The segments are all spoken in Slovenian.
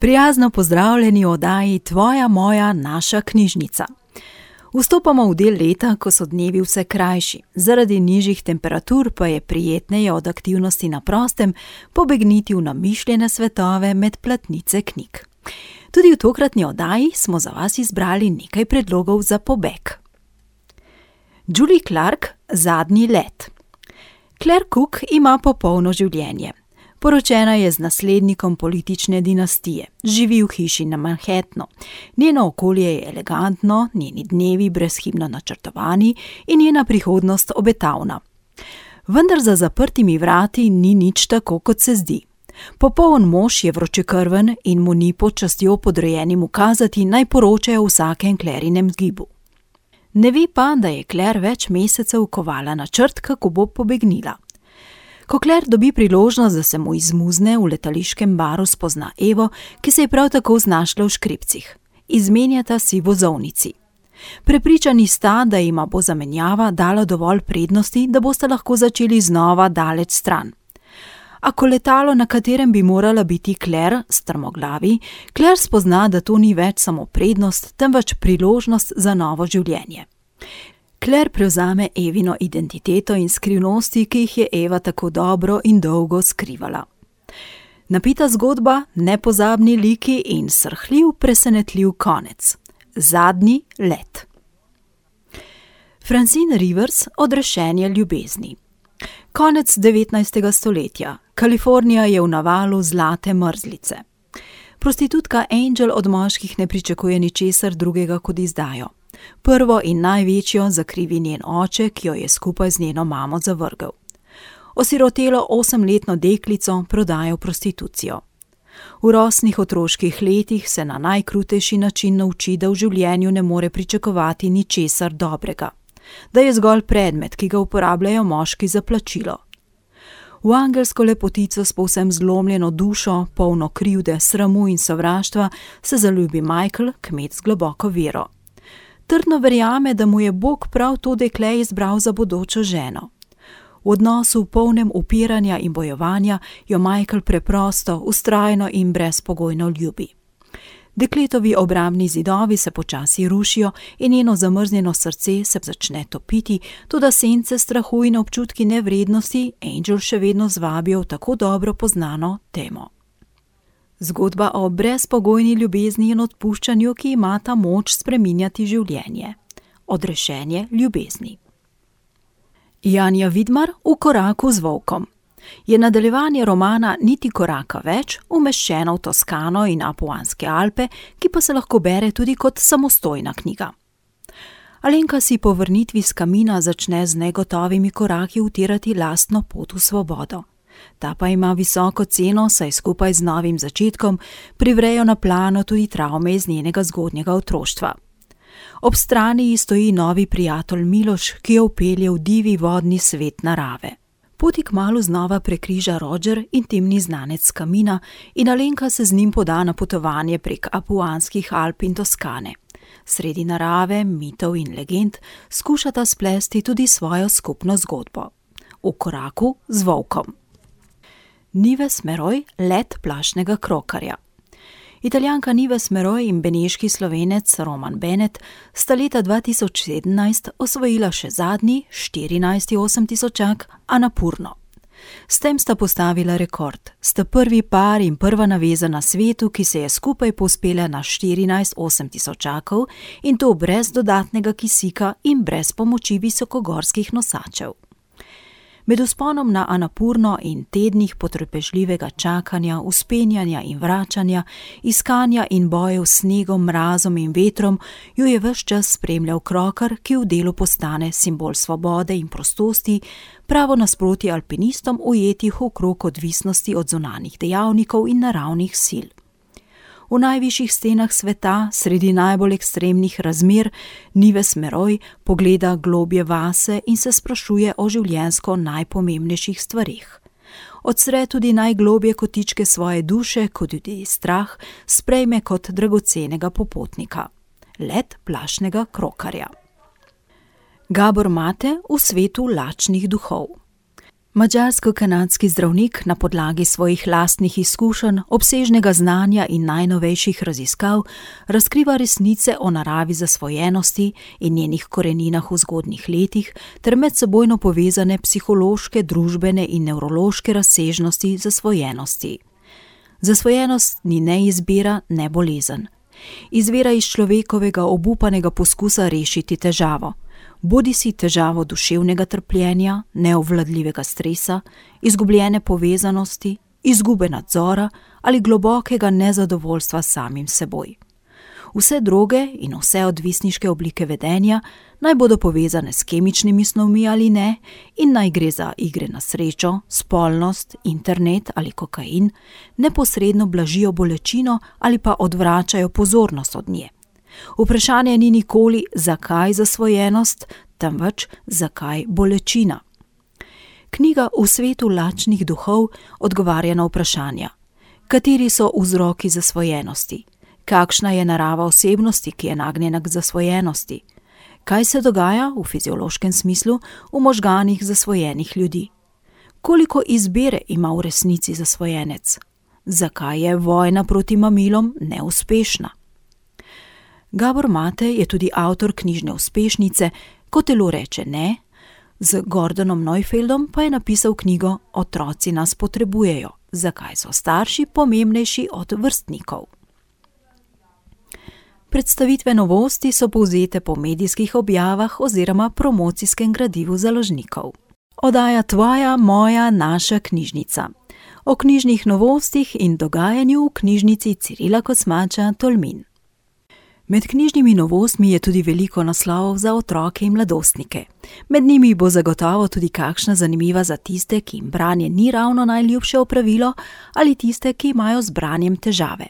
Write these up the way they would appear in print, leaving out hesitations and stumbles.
Prijazno pozdravljeni v oddaji Tvoja, moja, naša knjižnica. Vstopamo v del leta, ko so dnevi vse krajši. Zaradi nižjih temperatur pa je prijetneje od aktivnosti na prostem pobegniti v namišljene svetove med platnice knjig. Tudi v tokratni oddaji smo za vas izbrali nekaj predlogov za pobeg. Julie Clark, Zadnji let. Claire Cook ima popolno življenje. Poročena je z naslednikom politične dinastije, živi v hiši na Manhattnu. Njeno okolje je elegantno, njeni dnevi brezhibno načrtovani in njena prihodnost obetavna. Vendar za zaprtimi vrati ni nič tako, kot se zdi. Popoln mož je vročekrven in mu ni pod častjo podrejenim ukazati, naj poročajo o vsakem Clarinem gibu. Ne ve pa, da je Claire več mesecev kovala načrt, kako bo pobegnila. Ko Claire dobi priložnost, da se mu izmuzne, v letališkem baru spozna Evo, ki se je prav tako znašla v škripcih. Izmenjata si vozovnici. Prepričani sta, da jima bo zamenjava dala dovolj prednosti, da bosta lahko začeli znova daleč stran. A ko letalo, na katerem bi morala biti Claire, strmoglavi, Claire spozna, da to ni več samo prednost, temveč priložnost za novo življenje. Claire prevzame Evino identiteto in skrivnosti, ki jih je Eva tako dobro in dolgo skrivala. Napita zgodba, nepozabni liki in srhljiv, presenetljiv konec. Zadnji let. Francine Rivers, Odrešenje ljubezni. Konec 19. stoletja. Kalifornija je v navalu zlate mrzlice. Prostitutka Angel od moških ne pričakuje ničesar drugega kot izdajo. Prvo in največjo zakrivi njen oče, ki jo je skupaj z njeno mamo zavrgel. Osirotelo 8-letno deklico prodajo v prostitucijo. V rosnih otroških letih se na najkrutejši način nauči, da v življenju ne more pričakovati ničesar dobrega, da je zgolj predmet, ki ga uporabljajo moški za plačilo. V angelsko lepotico s povsem zlomljeno dušo, polno krivde, sramu in sovraštva, se zaljubi Michael, kmet z globoko vero. Trdno verjame, da mu je Bog prav to dekle izbral za bodočo ženo. V odnosu polnem upiranja in bojevanja jo Michael preprosto, vztrajno in brezpogojno ljubi. Dekletovi obrambni zidovi se počasi rušijo in njeno zamrznjeno srce se začne topiti, toda sence strahu in občutki nevrednosti Angel še vedno zvabijo v tako dobro poznano temo. Zgodba o brezpogojni ljubezni in odpuščanju, ki imata moč spreminjati življenje. Odrešenje ljubezni. Janja Vidmar, V koraku z volkom. Je nadaljevanje romana Niti koraka več, umeščeno v Toskano in Apuanske Alpe, ki pa se lahko bere tudi kot samostojna knjiga. Alenka si po vrnitvi s kamina začne z negotovimi koraki utirati lastno pot v svobodo. Ta pa ima visoko ceno, saj skupaj z novim začetkom privrejo na plano tudi travme iz njenega zgodnjega otroštva. Ob strani ji stoji novi prijatelj Miloš, ki jo vpelje v divi vodni svet narave. Poti kmalu znova prekriža Roger, intimni znanec s kamina, in Alenka se z njim poda na potovanje prek Apuanskih Alp in Toskane. Sredi narave, mitov in legend skušata splesti tudi svojo skupno zgodbo. V koraku z volkom. Nives Meroj, Let plašnega krokarja. Italijanka Nives Meroj in beneški Slovenec Roman Bennett sta leta 2017 osvojila še zadnji, 14. osemtisočak, Anapurno. S tem sta postavila rekord. Sta prvi par in prva naveza na svetu, ki se je skupaj povzpela na 14 osemtisočakov, in to brez dodatnega kisika in brez pomoči visokogorskih nosačev. Med vzponom na Anapurno in tednih potrpežljivega čakanja, vzpenjanja in vračanja, iskanja in bojev s snegom, mrazom in vetrom, jo je ves čas spremljal krokar, ki v delu postane simbol svobode in prostosti, pravo nasproti alpinistom ujetih v krog odvisnosti od zunanjih dejavnikov in naravnih sil. V najvišjih stenah sveta, sredi najbolj ekstremnih razmer, Nives Meroj pogleda globje vase in se sprašuje o življenjsko najpomembnejših stvareh. Odsre tudi najglobje kotičke svoje duše, kot tudi strah sprejme kot dragocenega popotnika. Let plašnega krokarja. Gabor Mate, V svetu lačnih duhov. Madžarsko-kanadski zdravnik na podlagi svojih lastnih izkušenj, obsežnega znanja in najnovejših raziskav razkriva resnice o naravi zasvojenosti in njenih koreninah v zgodnjih letih ter medsebojno povezane psihološke, družbene in nevrološke razsežnosti zasvojenosti. Zasvojenost ni ne izbira, ne bolezen. Izvira iz človekovega obupanega poskusa rešiti težavo. Bodisi težavo duševnega trpljenja, neobvladljivega stresa, izgubljene povezanosti, izgube nadzora ali globokega nezadovoljstva samim seboj. Vse droge in vse odvisniške oblike vedenja naj bodo povezane s kemičnimi snovmi ali ne in naj gre za igre na srečo, spolnost, internet ali kokain, neposredno blažijo bolečino ali pa odvračajo pozornost od nje. Vprašanje ni nikoli, zakaj zasvojenost, temveč zakaj bolečina. Knjiga V svetu lačnih duhov odgovarja na vprašanja. Kateri so vzroki zasvojenosti? Kakšna je narava osebnosti, ki je nagnjena k zasvojenosti? Kaj se dogaja v fiziološkem smislu v možganih zasvojenih ljudi? Koliko izbire ima v resnici zasvojenec? Zakaj je vojna proti mamilom neuspešna? Gabor Mate je tudi avtor knjižne uspešnice Ko telo reče ne, z Gordonom Neufeldom pa je napisal knjigo Otroci nas potrebujejo, zakaj so starši pomembnejši od vrstnikov. Predstavitve novosti so povzete po medijskih objavah oziroma promocijskem gradivu založnikov. Oddaja Tvoja, moja, naša knjižnica. O knjižnih novostih in dogajanju v knjižnici Cirila Kosmača Tolmin. Med knjižnimi novostmi je tudi veliko naslovov za otroke in mladostnike. Med njimi bo zagotovo tudi kakšna zanimiva za tiste, ki jim branje ni ravno najljubše opravilo, ali tiste, ki imajo z branjem težave.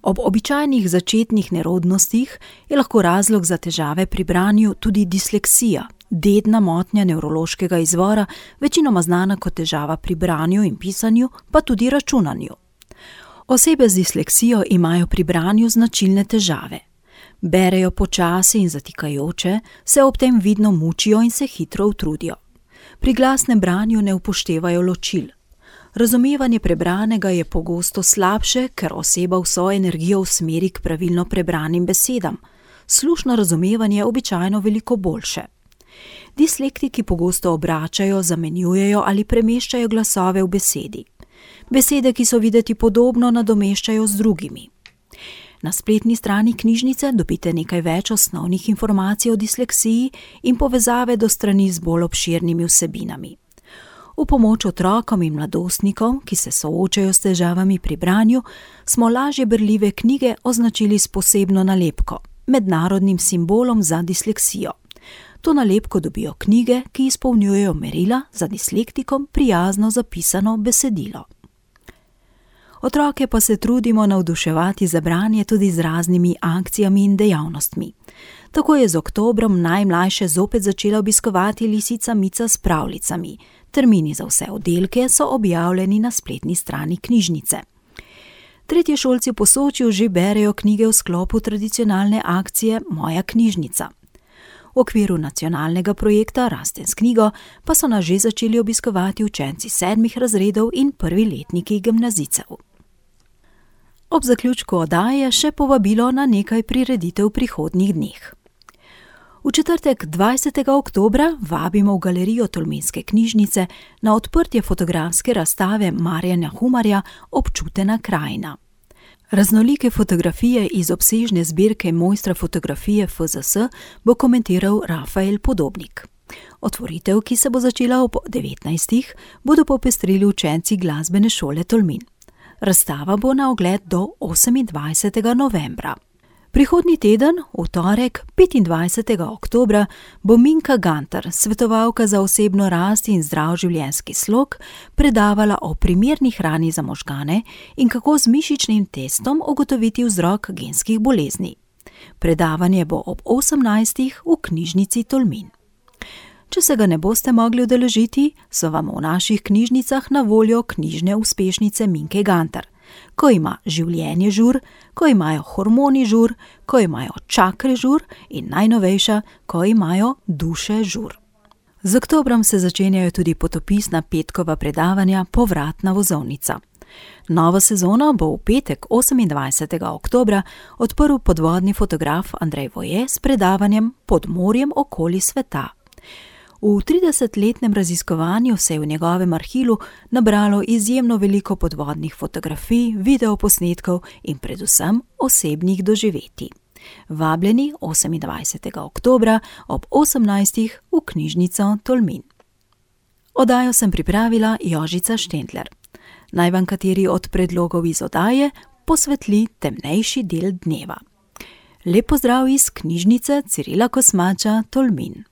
Ob običajnih začetnih nerodnostih je lahko razlog za težave pri branju tudi disleksija, dedna motnja nevrološkega izvora, večinoma znana kot težava pri branju in pisanju, pa tudi računanju. Osebe z disleksijo imajo pri branju značilne težave. Berejo počasi in zatikajoče, se ob tem vidno mučijo in se hitro utrudijo. Pri glasnem branju ne upoštevajo ločil. Razumevanje prebranega je pogosto slabše, ker oseba vso energijo usmeri k pravilno prebranim besedam. Slušno razumevanje je običajno veliko boljše. Dislektiki pogosto obračajo, zamenjujejo ali premeščajo glasove v besedi. Besede, ki so videti podobno, nadomeščajo z drugimi. Na spletni strani knjižnice dobite nekaj več osnovnih informacij o disleksiji in povezave do strani z bolj obširnimi vsebinami. V pomoč otrokom in mladostnikom, ki se soočajo s težavami pri branju, smo lažje berljive knjige označili s posebno nalepko, mednarodnim simbolom za disleksijo. To nalepko dobijo knjige, ki izpolnjujejo merila za dislektikom prijazno zapisano besedilo. Otroke pa se trudimo navduševati za branje tudi z raznimi akcijami in dejavnostmi. Tako je z oktobrom najmlajše zopet začela obiskovati lisica Mica s pravljicami. Termini za vse oddelke so objavljeni na spletni strani knjižnice. Tretješolci v Posočju že berejo knjige v sklopu tradicionalne akcije Moja knjižnica. V okviru nacionalnega projekta Rasten s knjigo pa so nas že začeli obiskovati učenci 7. razredov in prvi letniki gimnazijcev. Ob zaključku oddaje še povabilo na nekaj prireditev v prihodnjih dneh. V četrtek 20. oktobra vabimo v galerijo Tolminske knjižnice na odprtje fotografske razstave Marjana Humarja Občutena krajina. Raznolike fotografije iz obsežne zbirke mojstra fotografije FZS bo komentiral Rafael Podobnik. Otvoritev, ki se bo začela ob 19. bodo popestrili učenci glasbene šole Tolmin. Razstava bo na ogled do 28. novembra. Prihodnji teden, v torek, 25. oktobra, bo Minka Gantar, svetovalka za osebno rast in zdrav življenjski slog, predavala o primerni hrani za možgane in kako z mišičnim testom ugotoviti vzrok genskih bolezni. Predavanje bo ob 18. v knjižnici Tolmin. Če se ga ne boste mogli udeležiti, so vam v naših knjižnicah na voljo knjižne uspešnice Minke Gantar. Ko ima življenje žur, ko imajo hormoni žur, ko imajo čakre žur in najnovejša, ko imajo duše žur. Z oktobrom se začenjajo tudi potopisna petkova predavanja Povratna vozovnica. Novo sezono bo v petek 28. oktobra odprl podvodni fotograf Andrej Voje s predavanjem Pod morjem okoli sveta. V 30-letnem raziskovanju se je v njegovem arhivu nabralo izjemno veliko podvodnih fotografij, videoposnetkov in predvsem osebnih doživetij. Vabljeni 28. oktobra ob 18. v knjižnico Tolmin. Oddajo sem pripravila Jožica Štendler. Naj vam kateri od predlogov iz oddaje posvetli temnejši del dneva. Lep pozdrav iz knjižnice Cirila Kosmača Tolmin.